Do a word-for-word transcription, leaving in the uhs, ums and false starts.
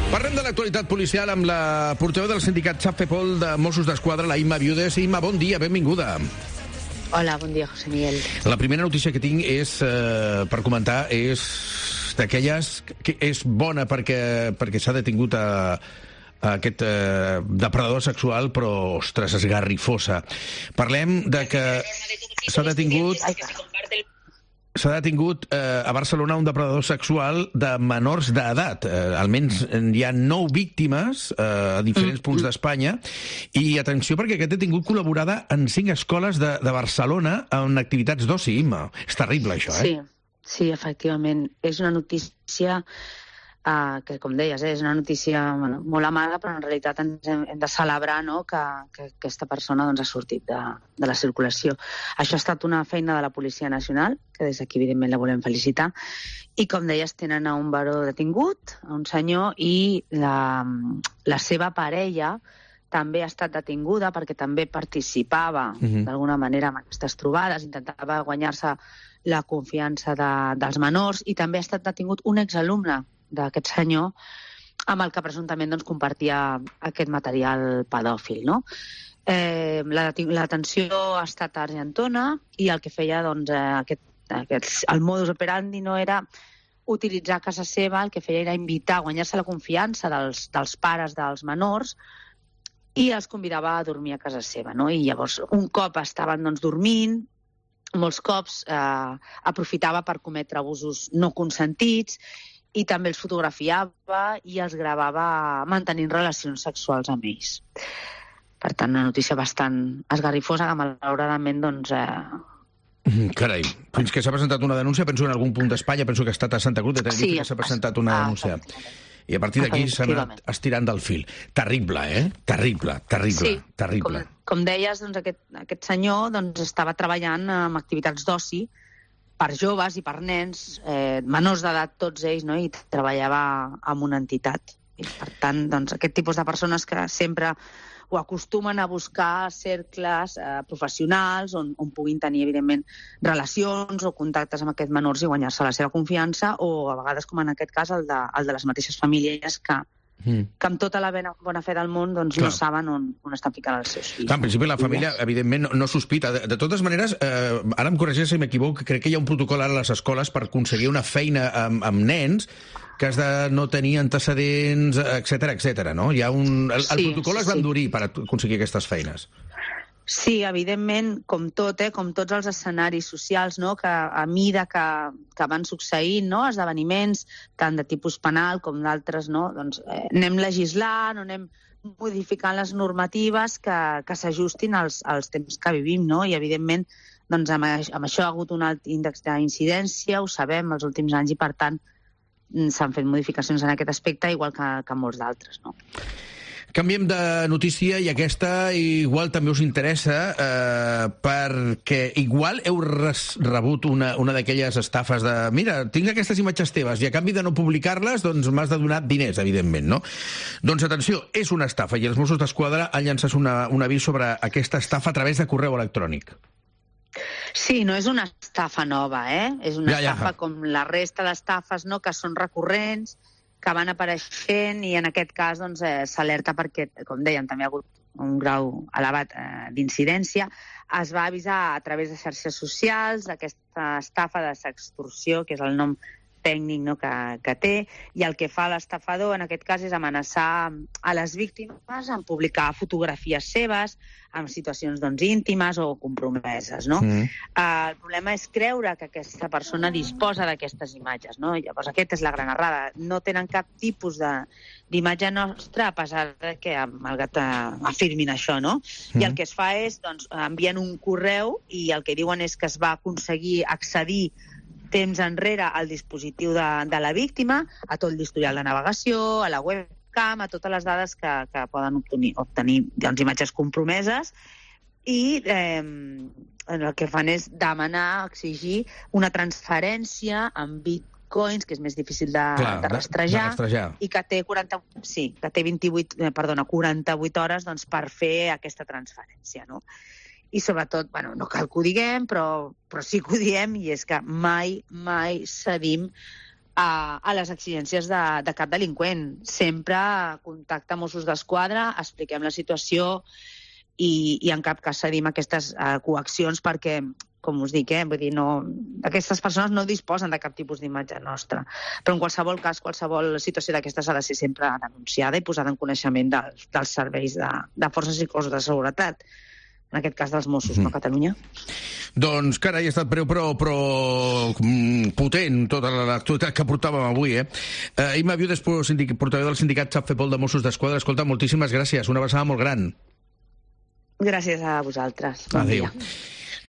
Parlem de l'actualitat policial amb la portaveu del sindicat Chapfepol de Mossos d'Esquadra, la Imma Viudes. Imma, bon dia, benvinguda. Hola, bon dia, José Miguel. La primera notícia que tinc és, eh, per comentar, és d'aquelles que és bona perquè, perquè s'ha detingut a, a aquest eh, depredador sexual, però, ostres, esgarrifosa. Parlem de que s'ha detingut... S'ha detingut eh, a Barcelona un depredador sexual de menors d'edat. Eh, almenys hi ha nou víctimes eh, a diferents punts d'Espanya. I atenció, perquè aquest detingut col·laborada en cinc escoles de, de Barcelona en activitats d'oci, Imma. És terrible, això, eh? Sí, sí, efectivament. És una notícia uh, que, com deies, eh, és una notícia bueno, molt amarga, però en realitat ens hem, hem de celebrar, no?, que, que aquesta persona doncs, ha sortit de, de la circulació. Això ha estat una feina de la Policia Nacional, que des d'aquí, evidentment, la volem felicitar. I, com deies, tenen a un baró detingut, a un senyor, i la, la seva parella també ha estat detinguda perquè també participava, uh-huh. d'alguna manera, en aquestes trobades, intentava guanyar-se la confiança de, dels menors, i també ha estat detingut un exalumne d'aquest senyor amb el que presumptament doncs, compartia aquest material pedòfil, no? Eh, la, la detenció ha estat a Argentona i el que feia, doncs, eh, aquest, aquest, el modus operandi no era utilitzar a casa seva, el que feia era invitar, guanyar-se la confiança dels, dels pares dels menors i els convidava a dormir a casa seva, no? I llavors, un cop estaven doncs, dormint, molts cops eh, aprofitava per cometre abusos no consentits i també els fotografiava i els gravava mantenint relacions sexuals amb ells. Per tant, una notícia bastant esgarrifosa que, malauradament, doncs... Eh... Carai, fins que s'ha presentat una denúncia, penso en algun punt d'Espanya, penso que ha estat a Santa Cruz, de sí, que s'ha presentat una denúncia. I a partir d'aquí s'ha anat estirant del fil. Terrible, eh? Terrible, terrible, sí, terrible. Com, com deies, doncs, aquest, aquest senyor doncs, estava treballant amb activitats d'oci per joves i per nens, eh, menors d'edat tots ells, no? I treballava amb una entitat. I, per tant, doncs, aquest tipus de persones que sempre ho acostumen a buscar cercles eh, professionals on, on puguin tenir, evidentment, relacions o contactes amb aquests menors i guanyar-se la seva confiança, o a vegades, com en aquest cas, el de, el de les mateixes famílies que, mm. que amb tota la bona, bona fe del món doncs, no saben on, on estan ficant els seus fills. Clar, en principi, la família, evidentment, no, no sospita. De, de totes maneres, eh, ara em corregeix si m'equivoco, crec que hi ha un protocol ara a les escoles per aconseguir una feina amb, amb nens que has de no tenir antecedents, etcètera, etcètera, no? Hi ha un... El, el sí, protocol es va endurir sí. per aconseguir aquestes feines. Sí, evidentment, com tot, eh, com tots els escenaris socials, no?, que a mida que, que van succeint, no?, esdeveniments, tant de tipus penal com d'altres, no?, doncs eh, anem legislant o anem modificant les normatives que, que s'ajustin als, als temps que vivim, no?, i evidentment doncs, amb, amb això ha hagut un alt índex d'incidència, ho sabem, els últims anys, i per tant s'han fet modificacions en aquest aspecte, igual que, que molts d'altres, no? Canviem de notícia, i aquesta igual també us interessa, eh, perquè igual heu res, rebut una, una d'aquelles estafes de mira, tinc aquestes imatges teves i a canvi de no publicar-les, doncs m'has de donar diners, evidentment, no? Doncs atenció, és una estafa, i els Mossos d'Esquadra han llançat una, un avís sobre aquesta estafa a través de correu electrònic. Sí, no és una estafa nova, eh? És una ja, ja. estafa com la resta d'estafes, no?, que són recurrents, que van apareixent, i en aquest cas doncs, eh, s'alerta perquè, com dèiem, també ha hagut un grau elevat eh, d'incidència. Es va avisar a través de xarxes socials d'aquesta estafa de sextorsió, que és el nom tècnic, no?, que, que té, i el que fa l'estafador en aquest cas és amenaçar a les víctimes en publicar fotografies seves en situacions doncs, íntimes o compromeses, no? Mm. Uh, el problema és creure que aquesta persona disposa d'aquestes imatges, no? Llavors aquesta és la gran errada. No tenen cap tipus d'imatge nostra, a pesar de que malgrat uh, afirmin això, no? Mm. I el que es fa és, doncs, envien un correu i el que diuen és que es va aconseguir accedir temps enrere al dispositiu de, de la víctima, a tot l'historial de navegació, a la webcam, a totes les dades que, que poden obtenir, obtenir doncs, imatges compromeses, i eh, el que fan és demanar, exigir una transferència en bitcoins, que és més difícil de, Clar, de, rastrejar, de rastrejar, i que té, quaranta, sí, que té vint-i-vuit, eh, perdona, quaranta-vuit hores doncs, per fer aquesta transferència, no? I sobretot, bueno, no cal que ho diguem, però, però sí que ho diem, i és que mai, mai cedim a, a les exigències de, de cap delinqüent. Sempre contacte amb Mossos d'Esquadra, expliquem la situació i, i en cap cas cedim aquestes uh, coaccions perquè, com us dic, eh, vull dir, no, aquestes persones no disposen de cap tipus d'imatge nostra. Però en qualsevol cas, qualsevol situació d'aquestes ha de ser sempre denunciada i posada en coneixement dels, dels serveis de, de forces i cossos de seguretat. En aquest cas dels Mossos, mm. no, a Catalunya. Doncs, carai, ha estat breu però, però potent tota l'actualitat que portàvem avui, eh? Uh, Imma Viudes, portaveu del sindicat SAPFEPOL de Mossos d'Esquadra. Escolta, moltíssimes gràcies, una abraçada molt gran. Gràcies a vosaltres. Bon Adéu. dia.